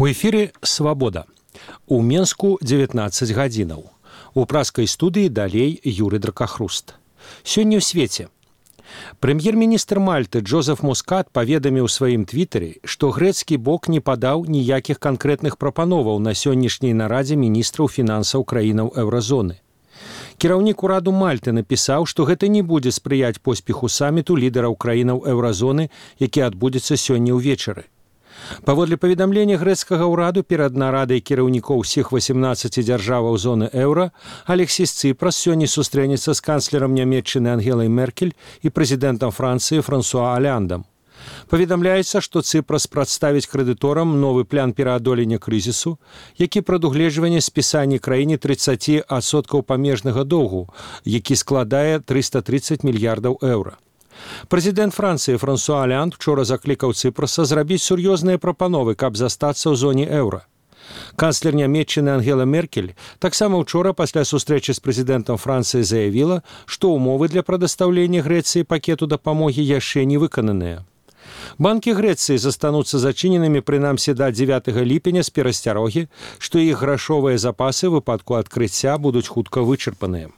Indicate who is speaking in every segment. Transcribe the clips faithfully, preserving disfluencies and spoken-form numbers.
Speaker 1: У эфіры «Свабода». У Менску дзевятнаццаць гадзінаў. У праскай студыі далей Юры Дракахруст. Сёння ў свеце. Прэм'ер-міністр Мальты Джозеф Мускат паведаміў у сваім твітары, што грэцкі бок не падаў ніякіх канкрэтных прапановаў на сённяшняй нарадзе міністраў фінансаў краінаў еўразоны. Кіраўнік ураду Мальты напісаў, што гэта не будзе спрыяць поспеху саміту лідараў краінаў еўразоны, які адбудзецца сёння ўвечары. Паводле паведамлення грэцкага ўраду перад нарадай кіраўнікоў усіх васемнаццаці дзяржаваў зоны еўра Алексіс Цыпрас сёння сустрэнецца з канцлерам Нямецчыны Ангелай Меркель і прэзідэнтам Францыі Франсуа Оляндам. Паведамляецца, што Цыпрас прадставіць крэдыторам новы план пераадолення крызісу, які прадугледжвае спісанне краіне трыццаць адсоткаў памежнага доўгу, які складае трыста трыццаць мільярдаў еўра. Прэзідэнт Францыі Франсуа Олянд учора заклікаў Цыпраса зрабіць сур'ёзныя прапановы, каб застацца ў зоне еўра. Канцлер Нямецчыны Ангела Меркель таксама учора пасля сустрэчы з прэзідэнтам Францыі заявіла, што ўмовы для прадастаўлення Грэцыі пакету дапамогі яшчэ не выкананыя. Банкі Грэцыі застануцца зачыненымі прынамсі да дзевятага ліпеня з перасцярогі, што іх грашовыя запасы ў выпадку адкрыцця будуць хутка вычарпаныя.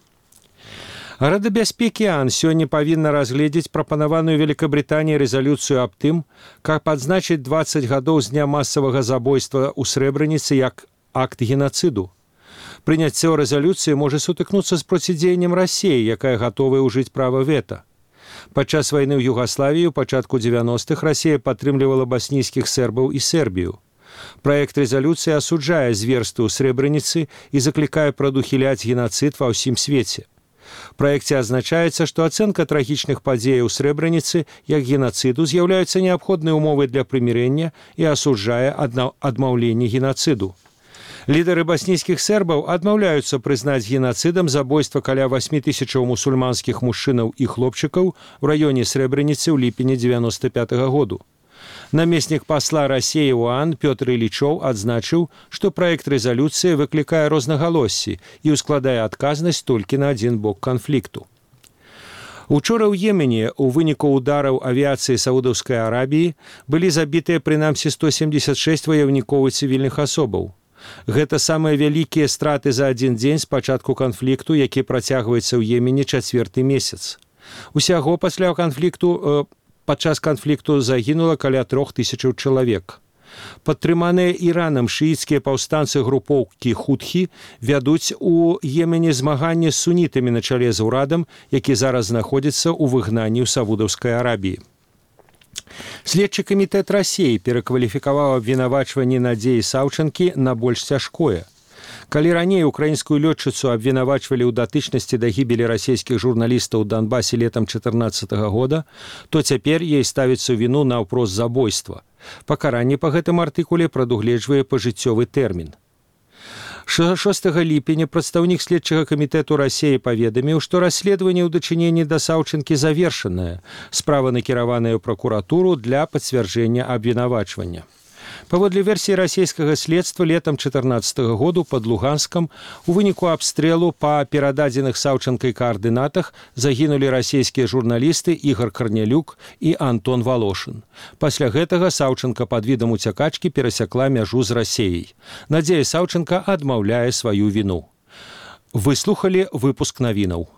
Speaker 1: Рада бяспекі ООН сёння павінна разгледзець прапанаваную Великабрытаніяй рэзалюцыю аб тым, каб адзначыць дваццаць гадоў з дня масавага забойства ў Срэбраніцы як акт генацыду. Прыняццё рэзалюцыі можа сутыкнуцца з процідзеяннем Расіі, якая гатовая ўжыць права вета. Падчас вайны ў Югаславіі ў пачатку дзевяностых Расія падтрымлівала баснійскіх сербаў і Сербію. Праект рэзалюцыі асуджае зверствы ў Срэбраніцы і заклікае прадухіляць генацыд ва ўсім свеце. У праекце адзначаецца, што ацэнка трагічных падзеяў у Срэбраніцы як генацыду з'яўляюцца неабходнай умовай для прымірэння і асуджае адмаўленне генацыду. Лідары баснійскіх сербаў адмаўляюцца прызнаць генацыдам забойства каля васьмі тысячаў мусульманскіх мужчынаў і хлопчыкаў у раёне Срэбраніцы ў ліпені дзевяноста пятага году. Намеснік пасла Расіі ў ООН Пётр Ілічоў адзначыў, што праект рэзалюцыі выклікае рознагалоссі і ускладае адказнасць толькі на адзін бок канфлікту. Учора ў Йемене у выніку удараў авіяцыі Саудаўскай Арабіі былі забітыя прынамсі сто семдзесят шэсць ваяўнікоў і цывільных асобаў. Гэта самыя вялікія страты за адзін дзень з пачатку канфлікту, які працягваецца ў Йемене чацвёрты месяц. Усяго пасля канфлікту Падчас канфлікту загінула каля трох тысячаў чалавек. Падтрыманыя Іранам шыіцкія паўстанцы групоўкі хутхі вядуць у Йемене змаганне з сунітамі на чале з урадам, які зараз знаходзіцца ў выгнанні ў Саудаўскай Арабіі. Следчы камітэт Расіі перакваліфікаваў абвінавачванне Надзеі Саўчанкі на больш цяжкое. Калі раней украінскую лётчыцу абвінавачвалі ў датычнасці да гібелі расійскіх журналістаў у Донбасе летам чатырнаццатага года, то цяпер ей ставіцца віну наўпрост забойства. Пакаранне па гэтым артыкуле прадугледжвае пажыццёвы тэрмін. шостага ліпеня прадстаўнік следчага камітэту Расіі паведаміў, што расследаванне ў дачыненні да Саўчанкі завершанае, справа накіраваная ў пракуратуру для пацвярджэння абвінавачвання. Паводле версіі расійскага следства летам чатырнаццатага году пад Луганскам у выніку абстрэлу па перададзеных Саўчанкай каардынатах загінулі расійскія журналісты Ігор Карнялюк і Антон Волошин. Пасля гэтага Саўчанка пад відам уцякачкі перасякла мяжу з Расіяй. Надзея Саўчанка адмаўляе сваю віну. Выслухалі выпуск навінаў.